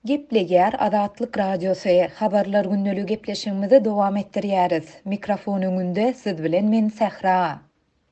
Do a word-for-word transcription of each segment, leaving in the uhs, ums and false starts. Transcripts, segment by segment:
Gepleýär Azatlyk Radiosy, Habarlar gündeligi gepleşigimizi dowam etdirýäris. Mikrofon öňünde siz bilen men Sähra.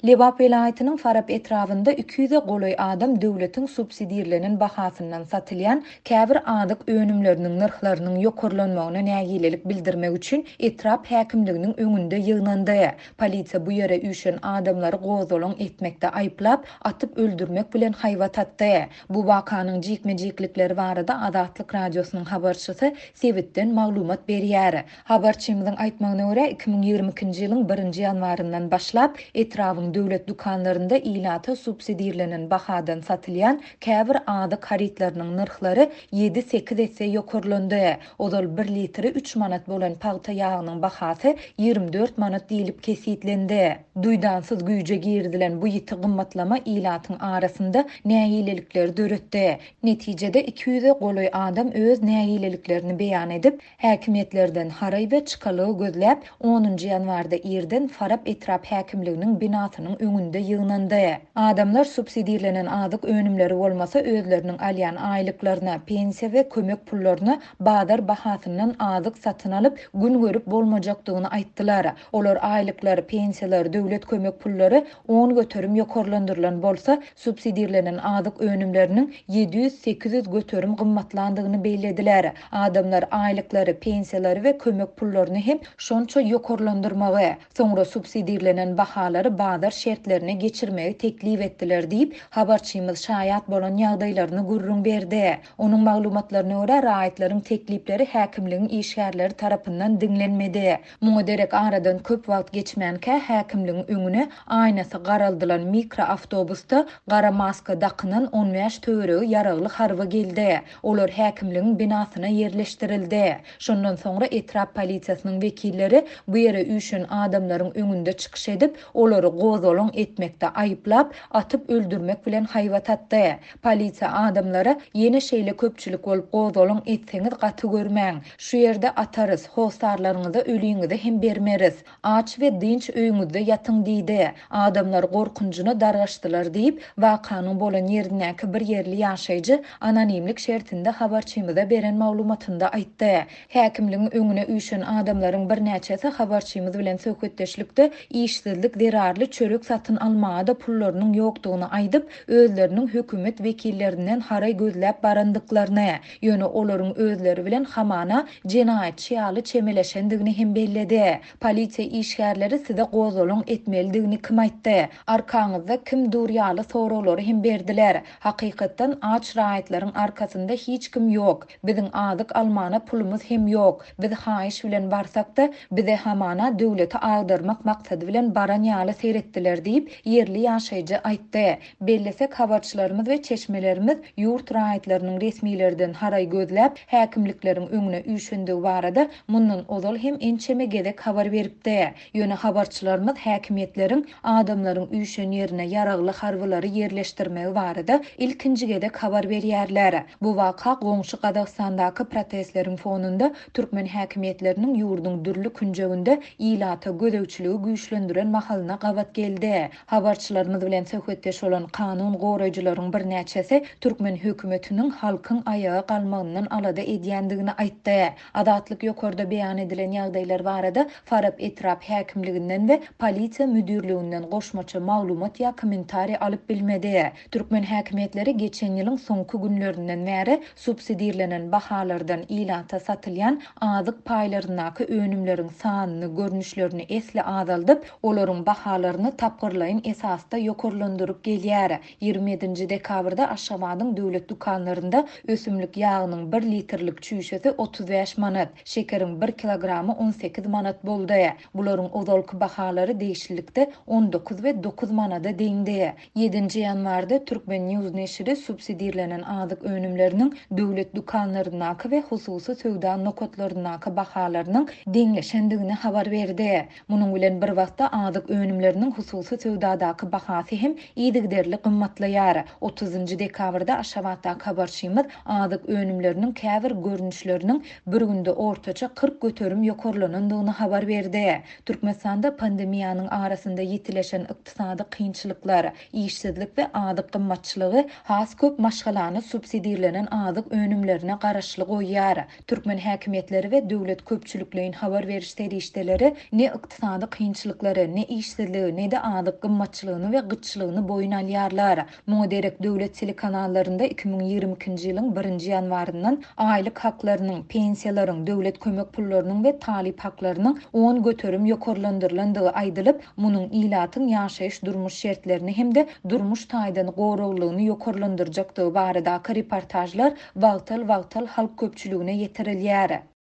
Lebap welaýatynyň Farap etrabynda iki ýüze golaý adam döwletiň subsidirlenen bahasyndan satylýan käbir azyk önümleriniň nyrhlarynyň ýokarlanmagyna nägilelik bildirmek üçin etrap häkimliginiň öňünde ýygnandy. Polisiýa bu ýere üýşen adamlary gozgalaň etmekde aýyplap, atyp öldürmek bilen haýbat atdy. Bu wakanyň jikme-jiklikleri barada Azatlyk Radiosynyň habarçysy sebitden maglumat berýär. Habarçymyzyň aýtmagyna görä, iki müň ýigrimi ikinji ýylyň birinji ýanwaryndan başlap etrabyň döwlet dükanlarynda ilata subsidirlenen bahadan satylýan käbir azyk harytlarynyň nyrhlary ýedi-sekiz esse ýokarlandy. Ozal bir litri üç manat bolan pagta ýagynyň bahasy ýigrimi dört manat diýlip kesgitlendi. Duýdansyz güýje girizilen bu ýiti gymmatlama ilatyň arasynda nägilelikleri döretdi. Netijede iki ýüze golaý adam öz nägileliklerini beýan edip, häkimiýetlerden haraý we çykalygy gözläp, onunjy ýanwarda irden Farap etrap häkimliginiň binasynyň öňünde ýygnandy. Adamlar subsidirlenen azyk önümleri bolmasa özleriniň alýan aýlyklaryna, pensiýa we kömek pullaryna bazar bahasyndan azyk satyn alyp, gün görüp bolmajakdygyny aýtdylar. Olar aýlyklar, pensiýalar, döwlet kömek pullary on göterim ýokarlandyrylan bolsa, subsidirlenen azyk önümleriniň ýedi ýüz sekiz ýüz göterim gymmatlandygyny bellediler. Adamlar aýlyklary, pensiýalary we kömek pullaryny hem şonça ýokarlandyrmagy, soňra subsidirlenen bahalary bazar şertlerine geçirmegi teklip etdiler diýip, habarçymyz şaýat bolan ýagdaýlaryny gürrüň berdi. Onuň maglumatlaryna görä, raýatlaryň teklipleri häkimligiň işgärleri tarapyndan diňlenmedi. Muňa derek aradan köp wagt geçmänkä häkimligiň öňüne aýnasy garaldylan mikroawtobusda gara maska dakynan on bäş töweregi ýaragly harby geldi. Olar häkimligiň binasyna ýerleşdirildi. Şondan soňra etrap polisiýasynyň wekilleri bu ýere üýşen adamlaryň öňünde çykyş edip, olary gozgalaň etmekde aýyplap, atyp öldürmek bilen haýbat atdy. Polisiýa adamlara ýene şeýle köpçülik bolup gozgalaň etseňiz gaty görmäň. Şu ýerde atarys, hostarlaryňyza ölüňizi hem bermeris. Aç we dynç öýüňizde ýatyň diýdi. Adamlar gorkunjyna dargaşdylar diýip, wakanyň bolan ýerindäki bir ýerli ýaşaýjy anonimlik şertinde habarçymyza beren maglumatynda aýtdy. Häkimligiň öňüne üýşen adamlaryň birnäçesi habarçymyz bilen söhbetdeşlikde işsizlik zerarly çörek satyn almaga da pullarynyň ýokdugyny aýdyp, özleriniň hökümet wekillerinden haraý gözläp barandyklaryny, ýöne olaryň özleri bilen hamana jenaýatçy ýaly çemeleşendigini hem belledi. Polisiýa işgärleri size gozgalaň etmelidigini kim aýtdy? Arkaňyzda kim dur ýaly soraglary hem berdiler. Hakykatdan aç raýatlaryň arkasynda hiç kim ýok. Biziň azyk almana pulumyz hem ýok. Biz haýyş bilen barsak-da, bize hamana döwleti agdarmak maksady bilen baran ýaly seyretdiler diýip, ýerli ýaşaýjy aýtdy. Bellesek habarçylarymyz we çeşmelerimiz ýurt raýatlarynyň resmilerden haraý gözläp, häkimlikleriň öňüne üýşendigi barada mundan ozal hem ençeme gezek habar beripdi. Ýöne habarçylarymyz häkimiýetleriň adamlaryň üýşen ýerine ýaragly harbylary ýerleşdirmegi barada ilkinji gezek habar berýärler. Bu waka goňşy Gazagystandaky protestleriň fonunda türkmen häkimiýetleriniň ýurduň dürli künjeginde ilata gözegçiligi güýçlendiren mahalyna gabat geldi. Habarçylarymyz bilen söhbetdeş bolan kanun goraýjylaryň birnäçesi türkmen hökümetiniň halkyň aýaga galmagyndan alada edýändigini aýtdy. Azatlyk ýokarda beýan edilen ýagdaýlar barada Farap etrap häkimliginden we polisiýa müdürliginden goşmaça maglumat ýa kommentariý alyp bilmedi. Türkmen häkimiýetleri geçen ýylyň soňky günlerinden bäri subsidirlenen bahalardan ilata satylýan azyk paýlaryndaky önümleriň sanyny, görnüşlerini esli azaldyp, olaryň bahalaryny tapgyrlaýyn esasda ýokarlandyryp gelýär. ýigrimi ýedinji dekabrda Aşgabadyň döwlet dükanlarynda ösümlik ýagynyň bir litrlik çüýşesi otuz bäş manat, şekeriň bir kilogramy on sekiz manat boldy. Bularyň ozalky bahalary degişlilikde on dokuz we dokuz manada deňdi. ýedinji ýanwarda Türkmen News neşiri subsidirlenen azyk önümleriniň döwlet dükanlaryndaky we hususy söwda nokatlaryndaky bahalarynyň deňleşendigini habar berdi. Munuň bilen bir wagtda azyk önümleriniň hususy hususy söwdadaky bahasy hem yzygiderli gymmatlaýar. Otuzynjy dekabrda Aşgabatdaky habarçymyz azyk önümleriniň käbir görnüşleriniň bir günde ortaça kyrk göterim ýokarlanandygyny habar berdi. Türkmenistanda pandemiýanyň arasynda ýitileşen ykdysady kynçylyklar, işsizlik we azyk gymmatçylygy has köp maşgalany subsidirlenen azyk önümlerine garaşly goýýar. Türkmen häkimiýetleri we döwlet köpçülikleýin habar beriş serişdeleri ne ykdysady kynçylyklary, ne işsizligi, ne-de azyk gymmatçylygyny we gytçylygyny boýun alýarlar. Muňa derek döwlet telekanallarynda iki müň ýigrimi ikinji ýylyň birinji ýanwaryndan aýlyk haklarynyň, pensiýalaryň, döwlet kömek pullarynyň we talyp haklarynyň on göterim ýokarlandyrylandygy aýdylyp, munuň ilatyň ýaşaýyş-durmuş şertlerini hem-de durmuş taýdan goraglygyny ýokarlandyrjakdygy baradaky reportajlar wagtal-wagtal halk köpçüligine ýetirilýär.